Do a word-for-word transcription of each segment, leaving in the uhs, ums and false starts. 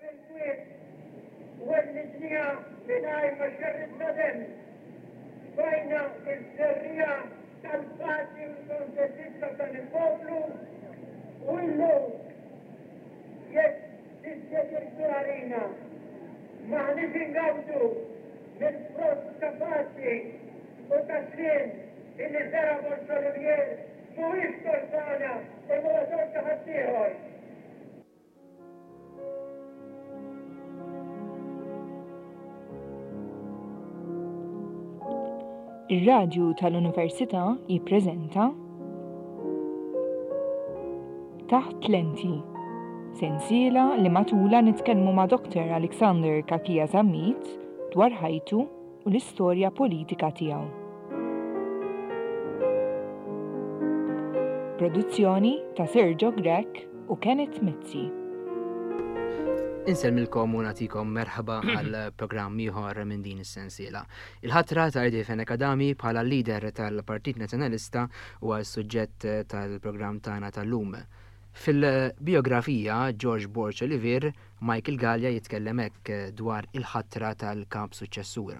Fil-kwiet wellidnieha mingħajr ma xerridna demm. Tfajna ż-żerriegħa tal-paċi u l-kontentizza f'dan il-poplu u llum jekk dispjaċir għalina m'aħniex ingawdu mill-frott ta' paċi u ta' sliem illi żera' Borg Olivier mhuwiex tort tagħna imma huwa tort ta' ħaddieħor. Ir-Radju tal-Università jippreżenta Taħt Lenti, sensiela li matulha nitkellmu ma' Doctor Alexander Cachia Zammit dwar ħajtu u l-istorja politika tiegħu. Produzzjoni ta' Sergio Grech u Kenneth Mizzi. Insellmilkom u nagħtikom merħba għal programm ieħor minn din is-sensiela. Il-ħatra ta' Eddie Fenech Adami bħala leader tal-Partit Nazzjonalista huwa s-suġġett tal-programm tagħna tal-lum. Fil-biografija George Borg Olivier, Michael Galea jitkellem hekk dwar il-ħatra tal-kap suċċessur.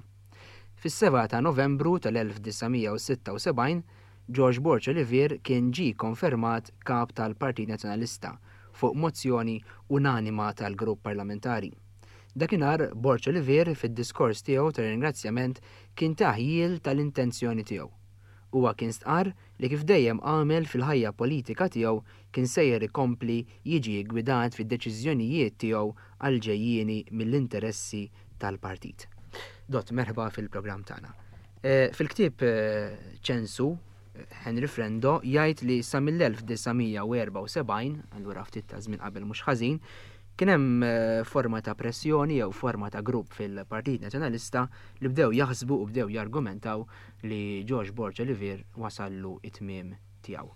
Fis-sebgħa ta' Novembru tal-elf disa' mija u sitta u sebgħin, George Borg Olivier kien ġie konfermat kap tal-Partit Nazzjonalista fuq mozzjoni unanima tal-grupp parlamentari. Dakinhar Borg Olivier fid-diskors tiegħu ta' ringrazzjament kien taħjil tal-intenzjoni tiegħu. Huwa kien stqarr li kif dejjem għamel fil-ħajja politika tiegħu kien sejjer ikompli jiġi ggwidat fid-deċiżjonijiet tiegħu għal ġejjieni mill-interessi tal-partit. Dott, merħba fil-programm tagħna. Eh, fil-ktieb, eh, Ċensu, Henry Frendo jgħid li sa mill-elf disa' mija u erba' u sebgħin, allura ftit ta' żmien qabel mhux ħażin, kien hemm, eh, forma ta' pressjoni jew forma ta' grupp fil-Partit Nazzjonalista li bdew jaħsbu u bdew jargumentaw li George Borg Olivier wasallu it-tmiem tiegħu.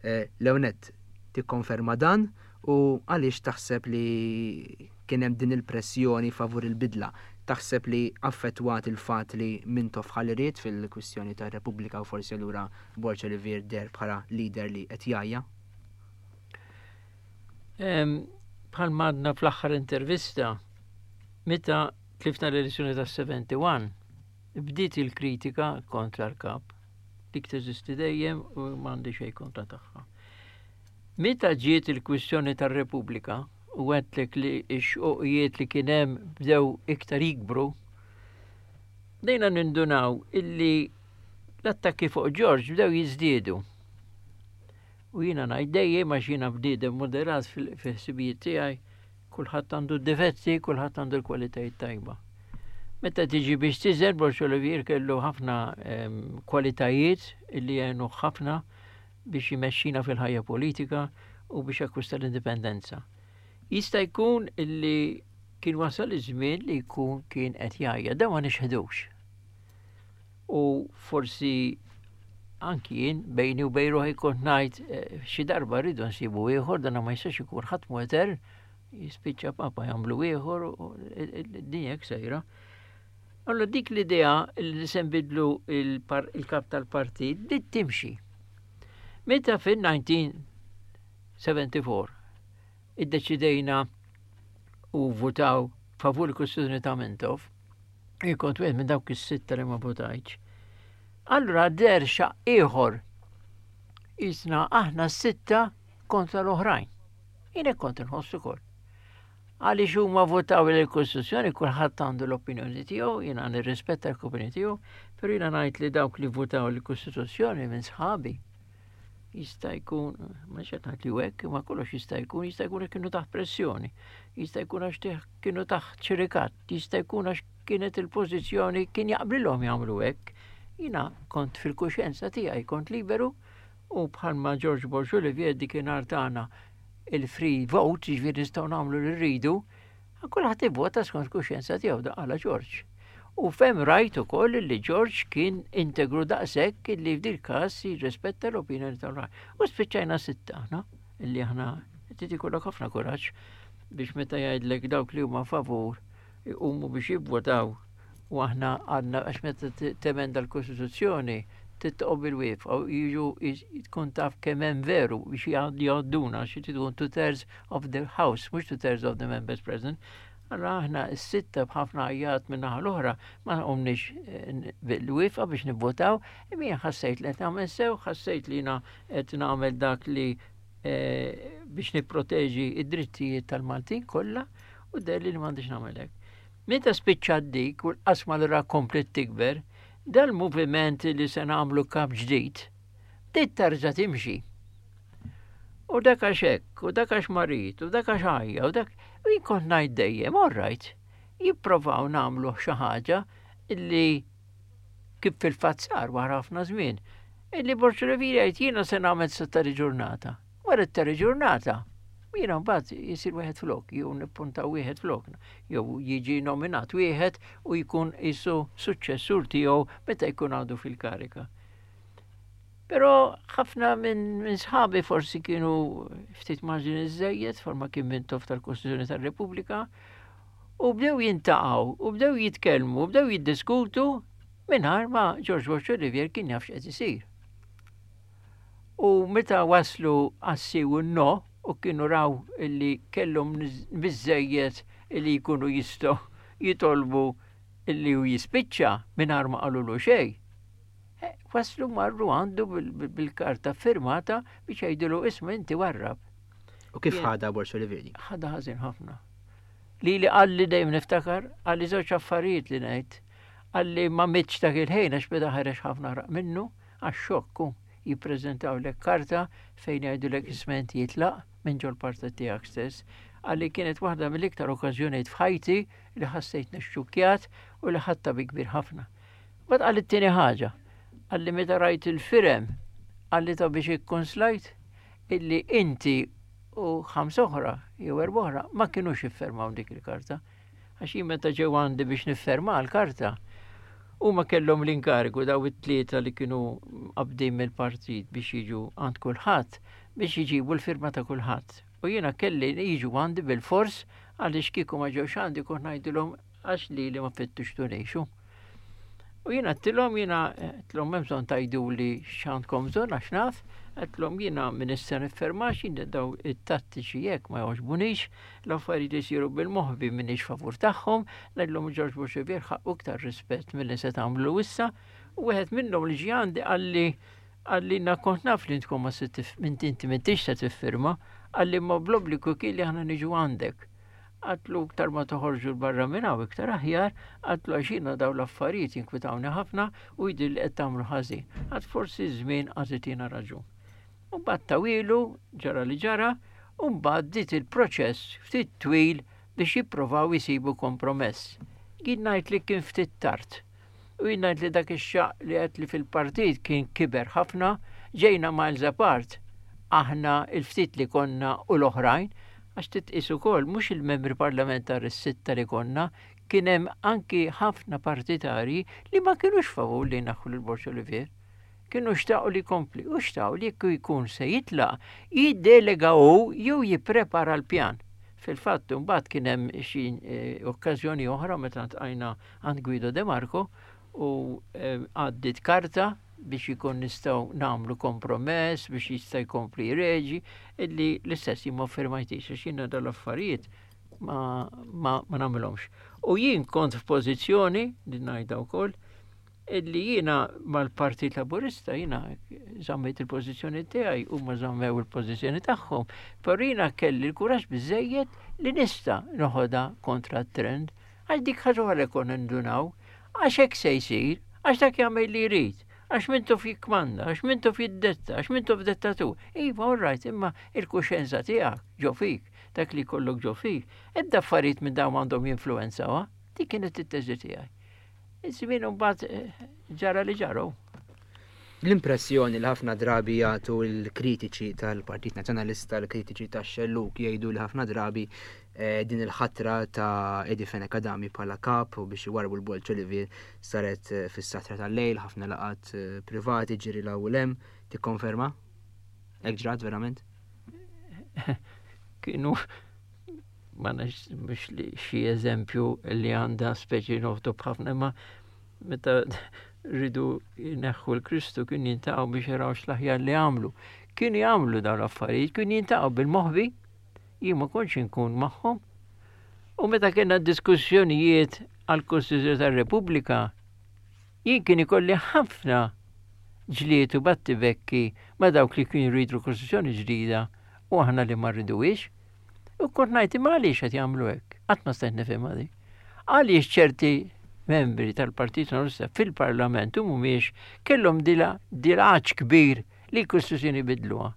Eh, Leonet, tikkonferma dan u għaliex taħseb li kien hemm din il-pressjoni favur il-bidla? Taħseb li affettwat il-fatt li Mintoff ħalliet fil-kwistjoni tar-Repubblika u forsi allura Borg Olivier der bħala leader li qed jgħajja? Em, bħal madna fl-aħħar intervista, meta tlifna l-elezzjoni tas-seventy-one, bdiet il-kritika kontra l-kap. Dik teżisti dejjem u m'għandi xejn kontra tagħha. Meta ġiet il-kwistjoni tar-Repubblika u għedtlek li x-xoqijiet li kien hemm bdew iktar jikbru, bdejna nindunaw illi l-attakki fuq George bdew jiżdiedu. U jiena ngħid dejjem għax jiena bniedem moderat fil-, fil-ħsibijiet tiegħi, kulħadd għandu d-difetti, kulħadd għandu l-kwalitajiet tajba. Meta tiġi biex tiżen, Borg Olivier kellu ħafna, em, kwalitajiet illi għenu ħafna biex jmexxina fil-ħajja politika u biex jakkwista l-indipendenza. Jista' jkun illi kien wasal iż-żmien li jkun kien qed jgħajja, dan ma nixħedux. U forsi anki jien bejni u bejn ruħi kont ngħid, eh, xi darba rridu nsibu ieħor, dan ma jistax ikun ħadd mhu etern, jispiċċa papa jagħmlu ieħor u d-dinja hekk sejra. Allora dik l-idea li se nbidlu il-par-, il-kap tal-partit bdiet timxi. Meta fin-nineteen seventy-four iddeċidejna u votaw favur il-Kostituzzjoni ta' Mintoff, jien kont wieħed minn dawk is-sitta li ma votajtx. Allura der xaq ieħor isna aħna s-sitta kontra l-oħrajn. Jien hekk kont inħoss ukoll. Għaliex huma votaw il-Kostituzzjoni, kulħadd għandu l-opinjoni tiegħu, jiena nirrispetta l-opinjoni tiegħu, però jiena ngħid li dawk li votaw il-Kostituzzjoni minn sħabi jista' jkun, ma xed ngħid li hekk, ma kollox jista' jkun, jista' jkun kienu taħt pressjoni, jista' jkun għax teħ-, kienu taħt xirikat, jista' jkun għax kienet il-pożizzjoni kien jaqblilhom jagħmlu hekk. Jiena kont fil-kuxjenza tiegħi, kont liberu u bħalma George Borg Olivier dikinhar tagħna il-free vote, jiġifieri nistgħu nagħmlu li rridu, kulħadd ivvota skont kuxjenza tiegħu, da qala George. U fem rajt ukoll li George kien integru daqshekk li f'dil każ jirrispetta l-opinjoni tal-oħrajn. U spiċċajna sitta aħna, illi aħna trid ikollok ħafna kuraġġ biex meta jgħidlek dawk li huma favur iqumu biex jivvotaw u aħna għadna għax meta te-, temenda l-Kostituzzjoni Titqob bil-wieqfa u jiġu tkun taf kemm hemm veru biex jgħadduna xi tkun two thirds of the house, mhux two thirds of the members present. Allora aħna s-sitta b'ħafna għajjat minn naħa l-oħra ma qomniex eh, bil-wieqfa biex nivvotaw, imma ħassejt li qed nagħmel sew, ħassejt li jiena qed nagħmel dak li eh, biex nipproteġi id-drittijiet tal-Maltin kollha u deherli li m'għandix nagħmel hekk. Meta spiċċat dik u l-qasma li ra komplet tikber, dal-moviment li se nagħmlu kap ġdid, bdiet tarġa' timxi. U dak għax hekk, u dak għax marid, u dak għax ħajja, u dak u jien kont ngħid dejjem, all right, jipprovaw nagħmlu xi ħaġa illi kif fil-fatt sar wara ħafna żmien, illi Borg Olivier jgħid jiena se nagħmel sa ġurnata. Wara t ġurnata, jiena mbagħad jisir wieħed flok, jew nippuntaw wieħed flok, jew jiġi nominat wieħed u jkun isu suċċessur tiegħu meta jkun għadu fil-karika. Però ħafna minn min sħabi forsi kienu ftit marġin iżejjed, forma kien Mintoff tal-Kostituzzjoni tal-Repubblika, u bdew jiltaqgħu, u bdew jitkellmu, u bdew jiddiskutu mingħajr ma George Borg Olivier kien jaf x'qed isir. U meta waslu għas-sì u no, u kienu raw illi kellhom biżejjed illi jkunu jistgħu jitolbu illi hu jispiċċa mingħajr ma qalulu xejn. Eh, waslu marru għandu bil-karta firmata biex jgħidulu isma' inti warrab. U kif ħadha Borg Olivier? Ħadha ħażin ħafna. Li li qalli dejjem niftakar, qalli żewġ affarijiet li ngħid. Qalli ma mitx dak il-ħin għax beda ħareġ ħafna għaraq minnu, għax xokku jippreżentaw lek karta fejn jgħidulek isma' int jitlaq minn ġol partit tiegħek stess. Qalli kienet waħda mill-iktar okkażjonijiet f'ħajti li ħassejt nixxukkjat u li ħadtha bi kbir ħafna. Mbagħad qalli t-tieni ħaġa, qalli meta rajt il-firem, qalli ta' biex ikkonslajt illi inti u ħamsa oħra jew erba' oħra ma kinux iffirmaw dik il-karta. Għax jien meta ġew għandi biex nifferma l-karta, huma kellhom l-inkarigu daw it-tlieta li kienu qabdin mill-partit biex jiġu għand kulħadd biex jiġibu l-firma ta' kulħadd. U jiena kelli jiġu għandi bil-fors għaliex kieku ma ġewx għandi kont ngħidilhom għax li li ma fittixtunix. U jiena għedtilhom jiena għedtilhom hemm bżonn tgħidu li x'għandkom bżonn għax naf, għedtilhom jiena min issa niffermax jien daw it-tattiċi jekk ma jogħġbunix, l-affarijiet li jsiru bil-moħbi m'iniex favur tagħhom, ngħidlhom George Borg Olivier ħaqqu iktar rispett milli se tagħmlu issa. U wieħed minnhom li ġie għandi qalli qalli na kont naf li intkom ma minn inti m'intix se tiffirma, qalli ma bl-obbligu kien li aħna niġu għandek. Għedtlu iktar ma toħorġu 'l barra minn hawn iktar aħjar, għedtlu għax jiena daw l-affarijiet jinkwitawni ħafna u jidhirli li qed tagħmlu ħażin. Għad forsi żmien għażitina raġun. U mbagħad tawilu ġara li ġara, u mbagħad bdiet il-proċess ftit twil biex jipprovaw jisibu kompromess. Jien ngħid li kien ftit tard. U jien ngħid li dak ix-xaq li qed li fil-partit kien kiber ħafna, ġejna miles apart. Aħna il-ftit li konna u l-oħrajn, għax titqis ukoll mhux il-membri parlamentari s-sitta li konna, kien hemm anki ħafna partitari li ma kienux favur li naħħu lil Borg Olivier. Kienu xtaqu li kompli, u xtaqu li jekk jkun se jitlaq, jiddelega u jew jipprepara l-pjan. Fil-fatt, mbagħad kien hemm xi eh, okkażjoni oħra meta ltqajna għand Guido De Marco u eh, għaddit karta biex jkun nistgħu nagħmlu kompromess biex jista' jkompli reġi illi l-istess jien ma firmajtix għax jiena dal-affarijiet ma, ma, ma nagħmilhomx. U jien kont f'pożizzjoni, li ngħidha wkoll, illi jiena mal-Partit Laburista jiena żammejt il-pożizzjoni tiegħi u ma żammew il-pożizzjoni tagħhom, però jiena kelli l-kuraġġ biżejjed li nista' noħodha kontra t-trend, għax dik ħaġa oħra konna ndunaw, għax hekk se jsir, għax dak jagħmel li jrid, għax Mintoff jikkmanda, għax Mintoff jiddetta, għax Mintoff dettatur. Iva, all right, imma il-kuxenza tiegħek ġo fik, dak li kollok ġo fik, ebda affarijiet minn dawn għandhom jinfluwenzaw, dik kienet it-teżi tiegħi. Iż-żmien mbagħad eh, ġara li ġaru. L-impressjoni li ħafna drabi jagħtu l-kritiċi tal-Partit Nazzjonalista, l-kritiċi tax-Xellug jgħidu li ħafna drabi eh, din il-ħatra ta' Eddie Fenech Adami bħala kap u biex iwarbu l-Borg Olivier saret eh, fis-satra tal-lejl, ħafna laqat eh, privati ġiri 'l hawn u 'l hemm. Tikkonferma? Hekk ġrat verament? Kienu ma nafx mhux li xi eżempju li għandha speċi noħtu b'ħafna imma meta Riedu jneħħu 'l Kristu kien jiltaqgħu biex jaraw x'l-aħjar li għamlu. Kienu jagħmlu dawn l-affarijiet, kienu jiltaqgħu bil-moħbi, jien ma kontx inkun magħhom. U meta kellna diskussjonijiet għall-Kostituzzjoni tar-Repubblika, jien kien ikolli ħafna ġlied u battibekki ma' dawk li kienu jridu Kostituzzjoni ġdida u aħna li ma rriduhiex. U kont ngħid, imma għaliex qed jagħmlu hekk? Qatt ma stajt nifhimha di. Għaliex ċerti membri tal-Partit Nazzjonalista fil-Parlament u mhumiex kellhom dil-għatx kbir li l-Kostituzzjoni bidluha.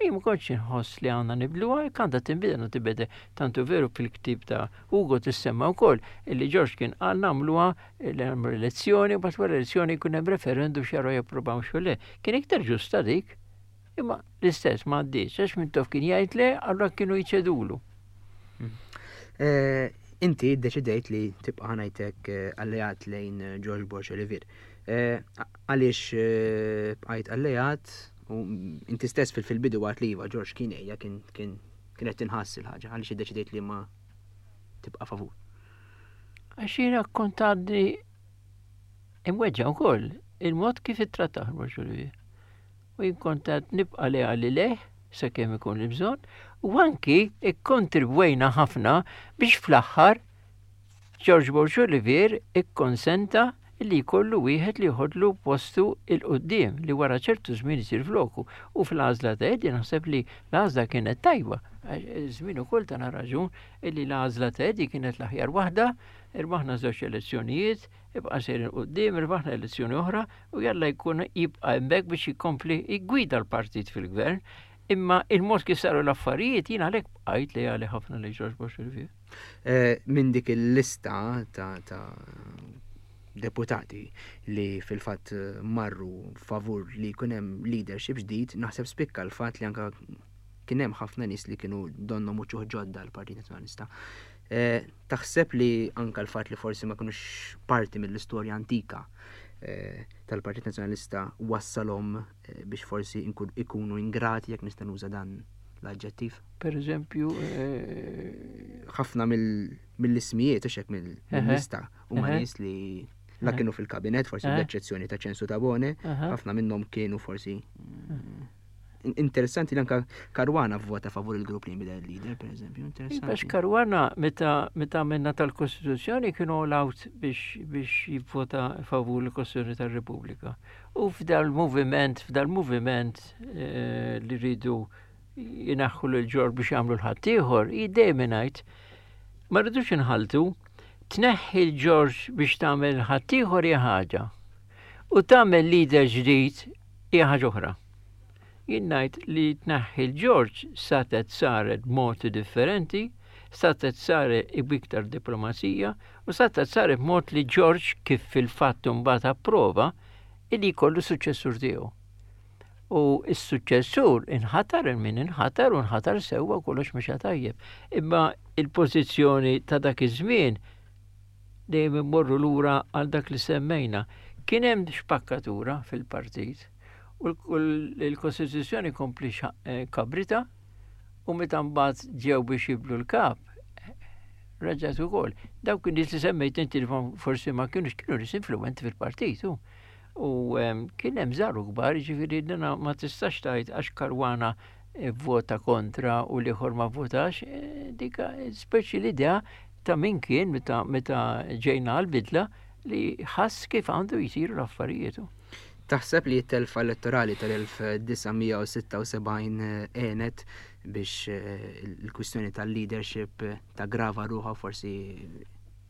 Jien ma kontx inħoss li għandna nibdluha, jekk għandha tinbidel għandha tinbidel. Tantu veru fil-ktieb ta' Ugo tissemma wkoll illi George kien qal nagħmluha li nagħmlu elezzjoni u mbagħad wara elezzjoni jkun hemm referendum x'jaraw japprovaw x'u le. Kien iktar ġusta dik. Imma l-istess ma għaddiex, għax Mintoff kien jgħid le, allura kienu jċedulu. Eh, inti deċidejt li tibqa' ngħidlek eh, alleat lejn George Borg Olivier. Eh, għaliex bqajt alleat u inti stess fil-bidu għedt li iva George kien ejja kien kien kienet tinħass il-ħaġa, għaliex iddeċidejt li ma tibqa' favur? Għax jiena kont għadni imweġġa' wkoll il-mod kif ittrattah Borg Olivier. U jien kont għad nibqa' leali lejh sakemm ikun il-bżonn u anki ikkontribwejna ħafna biex fl-aħħar George Borg Olivier ikkonsenta li jkollu wieħed li jħodlu postu 'l quddiem li wara ċertu żmien isir floku, u fl-għażla ta' Eddie naħseb li l-għażla kienet tajba. Żmien ukoll tana raġun illi l-għażla ta' Eddie kienet l-aħjar waħda, irbaħna żewġ elezzjonijiet, ibqa' sejrin quddiem, irbaħna elezzjoni oħra u jalla jkun jibqa' hemmhekk biex jkompli jgwida l-partit fil-gvern. Imma il-mod kif saru l-affarijiet, jien għalhekk bqajt leali ħafna lejn George Borg Olivier. Eh, minn dik il-lista ta' deputati li fil-fatt marru favur li jkun hemm leadership ġdid, naħseb spikka l-fatt li anka kien hemm ħafna nies li kienu donnu muċuħ ġodda l-Partit Nazzjonalista. Eh, taħseb li anka l-fatt li forsi ma kinux parti mill-istorja antika eh, tal-Partit Nazzjonalista wassalhom eh, biex forsi ikunu ingrati, jekk nista' nuża dan l-aġġettiv? Per eżempju, ħafna mill-ismijiet, u mill-lista, huma nies li la kienu fil-kabinet, forsi bl-eċċezzjoni ta' Ċensu Tabone, ħafna minnhom kienu forsi. Interessanti li anka Caruana vvota favur il-grupp li jinbidel leader, per eżempju. Interessanti. Għax Caruana meta meta minna tal-Kostituzzjoni kienu all out biex biex jivvota favur il-Kostituzzjoni tal-Repubblika. U f'dal-moviment, f'dal-moviment eh, li rridu jneħħu lil George biex jagħmlu 'l ħaddieħor, dejjem ngħid ma rridux inħaltu, tneħħi 'l George biex tagħmel ħaddieħor hija ħaġa. U tagħmel leader ġdid hija ħaġa oħra. Jien ngħid li tneħħi 'l George setgħet saret b'modi differenti, setgħet saret b'iktar diplomazija u setgħet saret b'mod li George, kif fil-fatt mbagħad approva, illi jkollu suċċessur tiegħu. U s-suċċessur inħatar il-min inħatar u nħatar sewwa, kollox mhux tajjeb. Imma il-pożizzjoni ta' dak iż-żmien, dejjem immorru lura għal dak li semmejna. Kien hemm spakkatura fil-partit u l-Kostituzzjoni kompli eh, kabrita u meta mbagħad ġew biex jibdlu l-kap, reġgħet ukoll. Dawk nies li semmejt inti li forsi ma kienux, kienu nies influenti fil-partit. U kien hemm żgħar u kbar, ġifieri dina ma tistax tgħid għax Caruana vvota kontra u l-ieħor ma votax, eh, dika speċi l-idea ta' min kien meta meta ġejna għal-bidla li ħass kif għandu jisiru l-affarijiet. Taħseb li t-telfa elettorali tal-elf disa' mija u sitta u sebgħin għenet biex eh, il-kwistjoni tal-leadership taggrava ruħha, forsi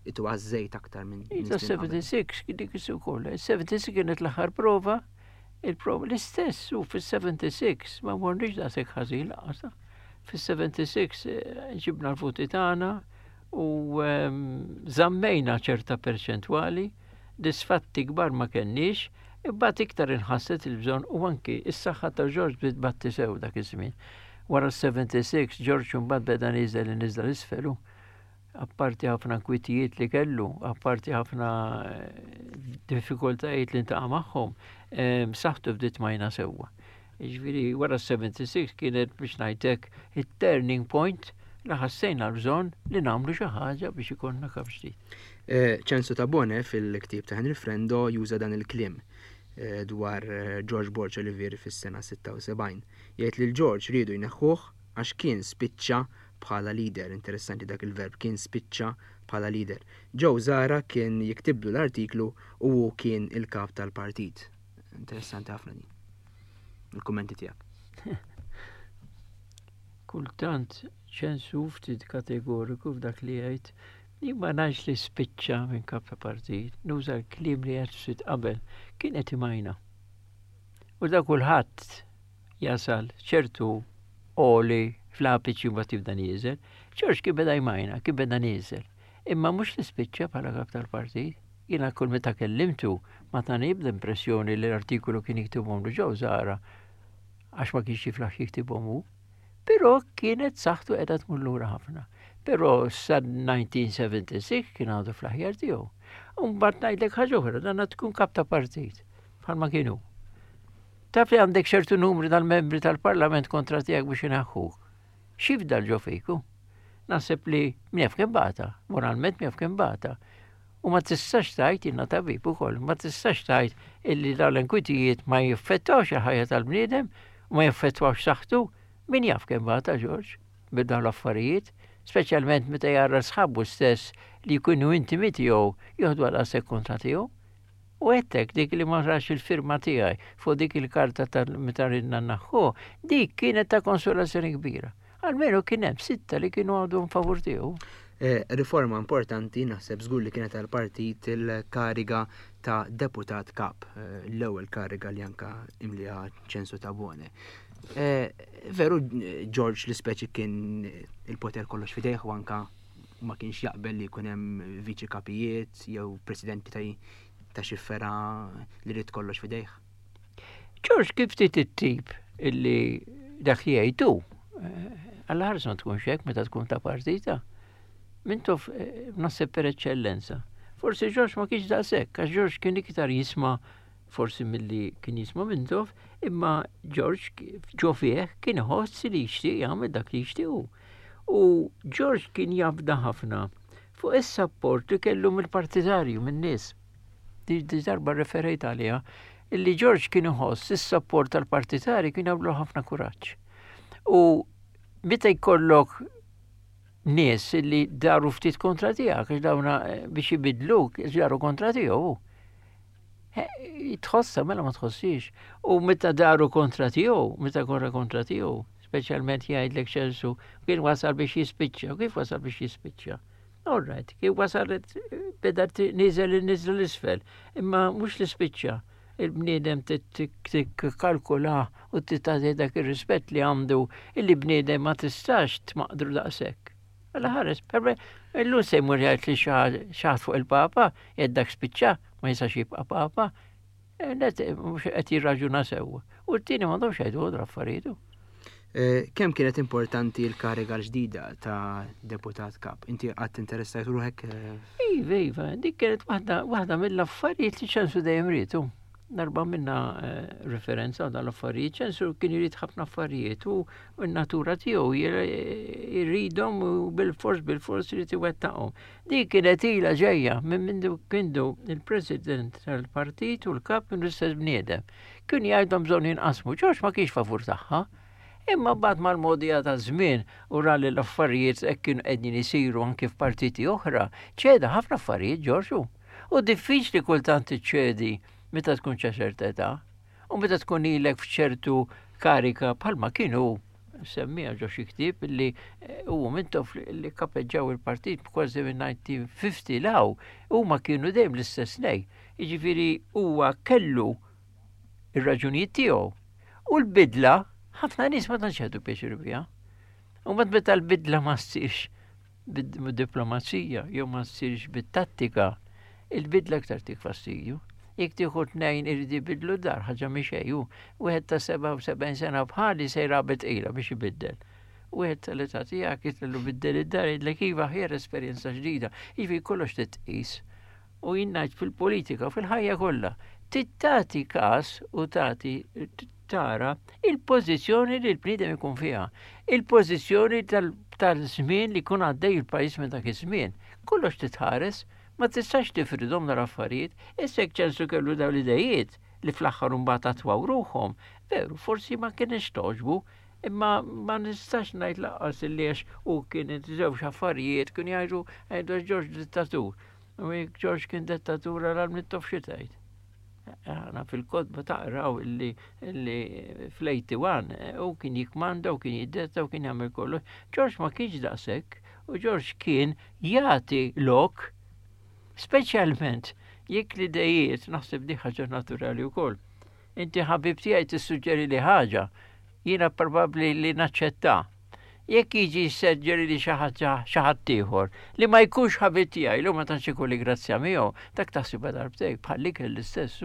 itu għażżejt aktar minn Ta' sebgħa u sebgħin dik ukoll. sebgħa u sebgħin kienet l-aħħar prova, il-prova l-istess u fis-sebgħa u sebgħin ma morniex daqshekk ħażin lanqas. Fis-sebgħa u sebgħin eh, ġibna l-voti tagħna u ehm, żammejna ċerta perċentwali, disfatti kbar ma kenniex, imbagħad iktar inħasset il-bżonn u anki is-saħħa ta' George bdiet tbati sew dak iż-żmien. Wara sebgħa u sebgħin George mbagħad beda niżel niżel 'l isfel. Apparti ħafna kwitijiet li kellu, apparti ħafna eh, diffikultajiet li ltaqa' magħhom, ehm, saħħtu bdiet tmajna sewwa. Jiġifieri wara sebgħa u sebgħin kienet, biex ngħidlek, it-turning point li ħassejna l-bżonn li nagħmlu xi ħaġa biex ikollna kap ġdid. Eh, Ċensu Tabone fil-ktieb ta' Henry Frendo juża dan il-kliem eh, dwar eh, George Borg Olivier fis-sena sitta u sebgħin. Jgħid li George riedu jneħħuh għax kien spiċċa bħala leader, interessanti dak il-verb, kien spiċċa bħala leader. Joe Zahra kien jiktiblu l-artiklu u hu kien il-kap tal-partit. Interessanti ħafna din. Il-kummenti tiegħek. Kultant Ċensu ftit kategoriku f'dak li jgħid. Jien ma ngħidx li spiċċa minn kap ta' partit, nuża l-kliem li għedt ftit qabel, kien qed imajna. U da kulħadd jasal ċertu oli fl-apiċi u tibda nieżel. George kien beda jmajna, kien beda nieżel. Imma mhux li spiċċa bħala kap tal-partit. Jiena kull meta kellimtu ma tani ebda impressjoni li l-artikolu kien jiktibhom Joe Zahra għax ma kienx jiflaħ jiktibhom hu. Però kienet saħħtu qiegħda tmur lura ħafna. Però sa elf disa' mija u sebgħa u sebgħin kien għadu fl-aħjar tiegħu. U mbagħad ngħidlek ħaġa oħra, dan tkun kap ta' partit bħalma kienu. Taf li għandek ċertu numri tal-membri tal-parlament kontra tiegħek biex inaħħuk. X'jifdal ġo fiku? Naħseb li min jaf kemm bata, moralment min jaf kemm bata. U ma tistax tgħid, jiena tabib ukoll, ma tistax tgħid illi dawn l-inkwitijiet ma jiffettawx il-ħajja tal-bniedem, u ma jiffettwawx saħħtu, min jaf kemm bata George bid dawn l-affarijiet, speċjalment meta jara sħabu stess li jkunu intimi tiegħu joħdu għal daqshekk kontra tiegħu. U għedtlek dik li ma rax il-firma tiegħi fuq dik il-karta ta' meta ridna naħħu, dik kienet ta' konsolazzjoni kbira. Almenu kien hemm sitta li kienu għadhom favur tiegħu. Eh, riforma importanti naħseb żgur li kienet għal-partit il-kariga ta' deputat kap, eh, l-ewwel kariga li anka imlija Ċensu Tabone. Eh, veru George li speċi kien il-poter kollox fidejh u anka ma kienx jaqbel li jkun hemm viċi kapijiet jew presidenti ta' ta' xi fergħa li ried kollox fidejh. George kif ftit it-tip illi dak li jgħidu, għalla ħares ma tkunx hekk meta tkun ta' partita. Mintoff eh, naħseb per eċċellenza. Forsi George ma kienx daqshekk, għax George kien iktar jisma' forsi milli kien jisma' Mintoff, imma George ġo fih kien iħoss li jixtieq jagħmel dak li jixtiequ. U George kien jafda ħafna fuq is-sapport li kellu mill-partitarju, min-nies. Di di darba referejt għaliha, illi George kien iħoss is-sapport tal-partitari kien jagħmlu ħafna kuraġġ. U meta jkollok nies li daru ftit kontra tiegħek, għax dawna eh, biex jibidluk, daru kontra tiegħu. Eh, Tħossa mela ma tħossix. U meta daru kontra tiegħu, meta korra kontra tiegħu, speċjalment jgħidlek Ċensu, kien wasal biex jispiċċa. U kif wasal biex jispiċċa? All right, kif wasal beda niżel niżel l-isfel, imma mhux li spiċċa. Il-bniedem tikkalkula u tagħti dak ir-rispett li għandu illi bniedem ma tistax tmaqdru daqshekk. Għalla ħares, per illum se jmur jgħid li xi ħadd fuq il-papa, jgħid dak spiċċa, ma jistax jibqa' papa, eh, net mhux qed jirraġuna sewwa. U t-tieni m'għandhomx jgħidu għodra affarijiet. Eh, Kemm kienet importanti l-kariga l-ġdida ta' deputat kap? Inti qatt interessajt ruħek? eh, Iva, iva, dik kienet waħda waħda mill-affarijiet li Ċensu dejjem rietu. Darba minna eh, referenza għal l-affarijiet, Ċensu kien irid ħafna affarijiet u n-natura tiegħu jridhom u bil-fors bil-fors irid iwettaqhom. Dik kienet ilha ġejja minn mindu kienu il-president tal-partit u l-kap kienu l-istess bniedem. Kien jgħidhom bżonn jinqasmu, Ġorġ ma kienx favur tagħha. Imma bad mal-modija ta' żmien u ra li l-affarijiet hekk kienu qegħdin isiru anke f'partiti oħra, ċeda ħafna affarijiet Ġorġu. U diffiċli kultant iċċedi meta tkun ċerta età u meta tkun ilek f'ċertu karika bħalma kienu semmija ġo xi ktieb li eh, u Mintoff li kapeġġaw il-partit kważi minn elf disa' mija u ħamsin law huma kienu dejjem l-istess nej. Jiġifieri huwa kellu ir-raġunijiet tiegħu. U l-bidla ħafna nies ma tantx jieħdu pjaċir biha. U mbagħad meta l-bidla ma ssirx bid-diplomazija jew ma ssirx bit-tattika, il-bidla aktar tik fastidju. Jekk tieħu tnejn irid jibidlu dar, ħaġa mhix xejn. Wieħed ta' sebgħa u sebgħin sena bħali se jrabet qila biex ibiddel. Wieħed tal-età tiegħek jitllu biddel id-dar jgħidlek iva ħjer esperjenza ġdida. Ivi kollox titqis. U jien ngħid fil-politika, fil-ħajja kollha, tagħti każ u tagħti tara il-pożizzjoni li l-bniedem ikun fiha, il-pożizzjoni tal-żmien li jkun għaddej il-pajjiż minn dak iż-żmien. Kollox titħares, ma tistax tifridhom l-affarijiet, issa jekk Ċensu kellu dawn l-idejiet li fl-aħħar imbagħad attwaw ruħhom, veru, forsi ma kienx togħġbu, imma ma nistax ngħid lanqas li għax u kienet żewġ affarijiet kien jgħidu għajdu George dittatur. U jekk George kien dittatur għal Mintoff xi tgħid. Aħna fil-kotba taqraw illi fl-eighty-one u kien jikmanda u kien jiddetta u kien jagħmel kollox. George ma kienx daqshekk u George kien jagħti lok, speċjalment jekk l-idejiet, naħseb di ħaġa naturali wkoll. Inti ħabib tiegħi tissuġġeri li ħaġa, jiena probabbli li naċċetta. Jekk jiġi suġġeri li xi ħaġa xi ħadd ieħor li ma jkunx ħabib tiegħi li ma tantx ikolli grazzja miegħu, dak taħsibha darbtejn bħal l-ikel l-istess.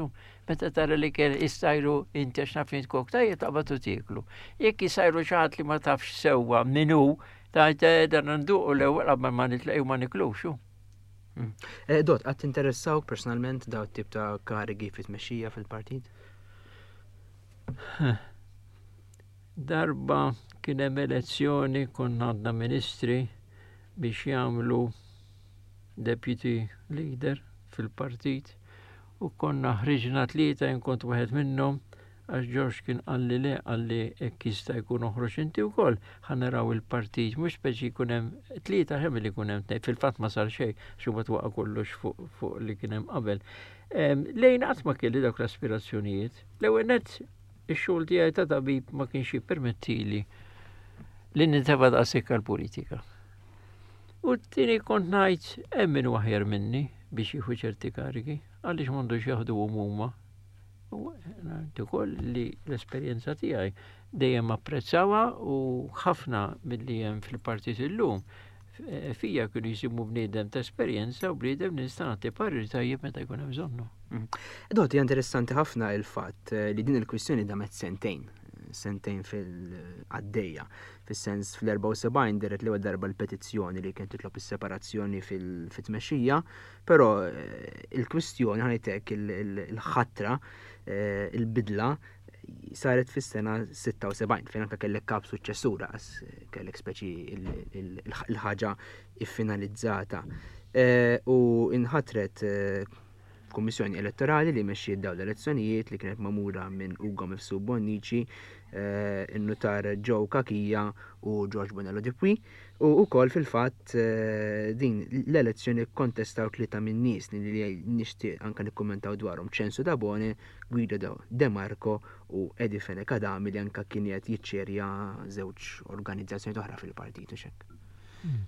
Meta tara li kell issajru inti għax naf kok tajjeb taqbad u tieklu. Jekk jisajru xi ħadd li ma tafx sewwa min hu, tgħid dan nduqu l-ewwel qabel ma nitlaqgħu ma niklux. Mm. Eh, Dott, qatt interessawk personalment daw tip ta' karigi fit-tmexxija fil-partit? Darba kien hemm elezzjoni, konna għandna ministri biex jagħmlu deputy leader fil-partit u konna ħriġna tlieta, jien kont wieħed minnhom, għax George kien qalli le, qalli hekk jista' jkun oħroġ inti wkoll, ħa naraw il-partit, mhux speċi jkun hemm tlieta ħem li jkun hemm tnejn, fil-fatt ma sar xejn, xi mbagħad waqa' kollox fuq, fuq li kien hemm qabel. Lejn qatt ma kelli dawk l-aspirazzjonijiet. L-ewwel nett ix-xogħol tiegħi ta' tabib ma kienx jippermettili li nintefa' daqshekk għall-politika. U t-tieni kont ngħid hemm min hu aħjar minni biex jieħu ċerti karigi, għaliex m'għandux jaħdu huma. U ngħid ukoll li l-esperjenza tiegħi dejjem apprezzawha u ħafna milli hemm fil-partit illum fija kienu jisimu bniedem ta' esperjenza u bniedem li nista' nagħti parir tajjeb meta jkun hemm bżonnu. Mm. Dott, hija interessanti ħafna il-fatt li din il-kwistjoni damet sentejn, sentejn fil-għaddejja, fis-sens fl-erbgħa u sebgħin deret l-ewwel darba l-petizzjoni li kien titlob is-separazzjoni fit-tmexxija, però il-kwistjoni ħanejtek il-ħatra, il-bidla saret fis-sena sitta u sebgħin fejn anke kellek kap suċċessura, għas kellek speċi il-ħaġa iffinalizzata. U inħatret kummissjoni elettorali li mexxiet dawn l-elezzjonijiet li kienet magħmula minn Ugo Mifsud Bonnici, in-nutar Joe Cachia u George Bonello Dupuis, u wkoll fil-fatt din l-elezzjoni kontestaw tlieta minn nies li nixtieq anke nikkummentaw dwarhom, Ċensu Tabone, Guido De Marco u Eddie Fenech Adami li anke kien qed jiċċerja żewġ organizzazzjoni oħra fil-partit u x'hekk. Hmm.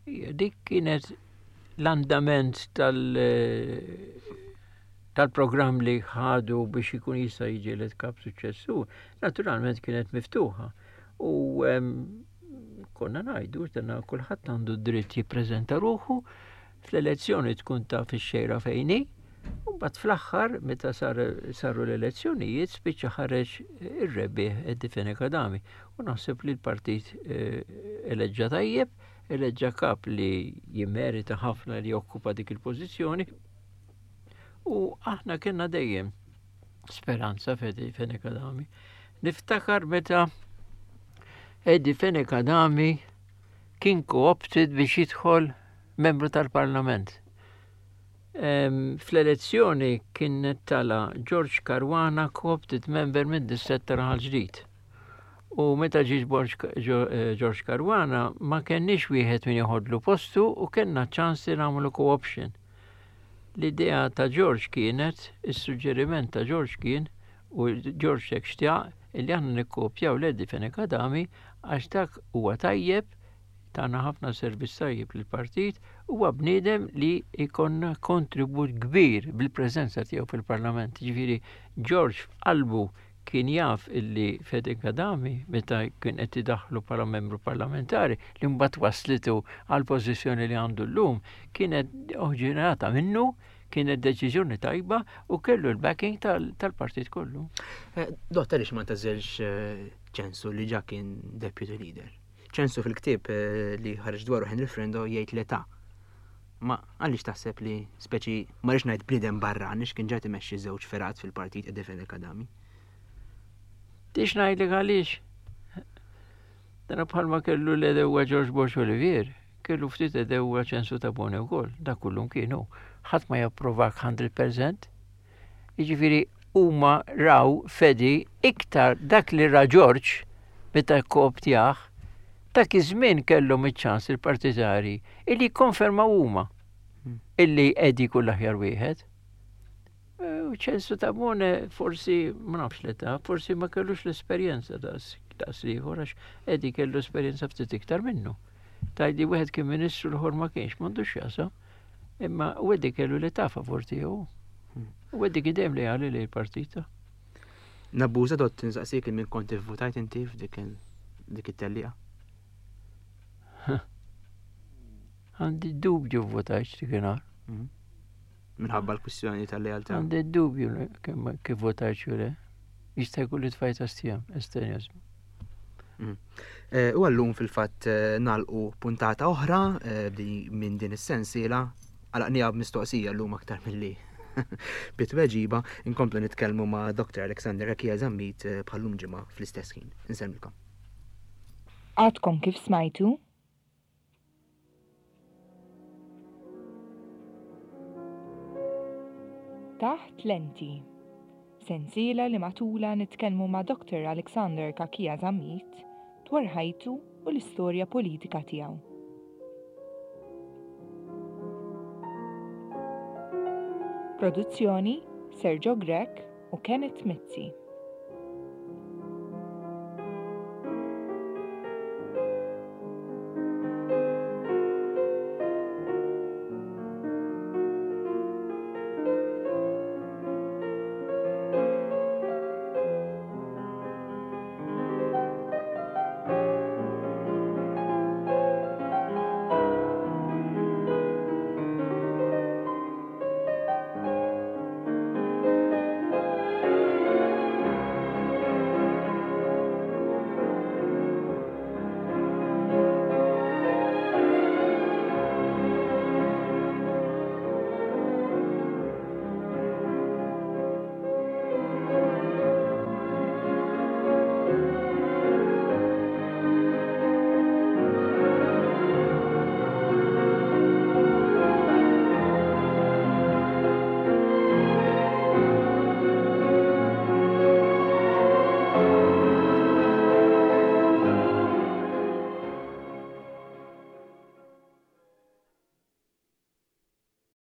Ija, dik kienet l-andament tal-, tal-programm li ħadu biex ikun jista' jiġi elett kap suċċessur, naturalment kienet miftuħa. U, em, konna ngħidu, dana kulħadd għandu dritt jippreżenta ruħu, fl-elezzjoni tkun taf ix-xejra fejn hi, u mbagħad fl-aħħar meta sar, saru l-elezzjonijiet spiċċa ħareġ ir-rebbieħ Eddie Fenech Adami. U naħseb li l-partit, eh, eleġġa tajjeb, eleġġa kap li jimmerita ħafna li jokkupa dik il-pożizzjoni. U aħna kellna dejjem speranza f'Eddie Fenech Adami. Niftakar meta Eddie Fenech Adami kien co-opted biex jidħol membru tal-Parlament. Em, fl-elezzjoni kien tala George Caruana co-opted member minn distrett ta' Raħal Ġdid. U meta ġie George, George Caruana ma kenniex wieħed min joħodlu postu u kellna ċans li nagħmlu co-option. L-idea ta' George kienet, is-suġġeriment ta' George kien, u George hekk xtaq, illi aħna nikkopjaw l-Eddie Fenech Adami għax dak huwa tajjeb, tana ħafna servizz tajjeb lill-partit, huwa bniedem li jkollna kontribut kbir bil-preżenza tiegħu fil-Parlament. Ġifieri George f'qalbu kien jaf illi Fenech Adami meta kien qed idaħħlu bħala membru parlamentari li mbagħad waslitu għal pożizzjoni li għandu llum kienet oġġenata minnu, kienet deċiżjoni tajba u kellu l-backing tal-, tal-partit kollu. Eh, Dott, għaliex ma tażelx, eh, Ċensu li ġa kien deputy leader? Ċensu fil-ktieb, eh, li ħareġ dwaru Henry Frendo jgħid l-età. Ma għaliex taħseb li speċi ma rridx ngħid bniedem barra, għaliex kien ġa imexxi żewġ fergħat fil-partit Eddie Fenech Adami? Tix ngħidlek għaliex. Dana bħalma kellu l-għedewwa George Borg Olivier, kellu ftit għedewwa Ċensu Tabone wkoll, dak kullum kienu. Ħadd ma japprovak mija fil-mija. Jiġifieri huma raw f'Eddie iktar dak li ra George meta kkooptjah, dak iż-żmien kellhom iċ-ċans il-partitari illi konfermaw huma illi Eddie kull aħjar wieħed. U Ċensu Tabone forsi, ma nafx l-età, forsi ma kellux l-esperjenza daqs daqs l-ieħor, għax Eddie kellu esperjenza ftit iktar minnu. Tgħidli wieħed kien ministru, l-ieħor ma kienx, m'għandux x'jaqsam. Imma u Eddie kellu l-età favur tiegħu. U Eddie kien dejjem leali lejn il-partita. Nabbuża, Dott, nsaqsik min kont votajt inti f'dik il- dik it-tellieqa? Għandi dubju votajt dik. Mhm. Minħabba l-kwistjoni tal-lealtà. Għandi dubju li kemm kif votajt xu le. Jista' jkun li tfajt astjam, estenjazm. Eh, U għallum fil-fatt eh, nagħlqu puntata oħra eh, di- minn din is-sensiela. Għalaqnieha b'mistoqsija llum aktar milli bit-tweġiba. Inkomplu nitkellmu ma' Doctor Alexander Cachia Zammit eh, bħallum ġimgħa fl-istess ħin. Insellmilkom. Għadkom kif smajtu Taħt Lenti. Sensiela li matula nitkellmu ma' Doctor Alexander Cachia Zammit dwar ħajtu u l-istorja politika tiegħu. Produzzjoni: Sergio Grech u Kenneth Mizzi.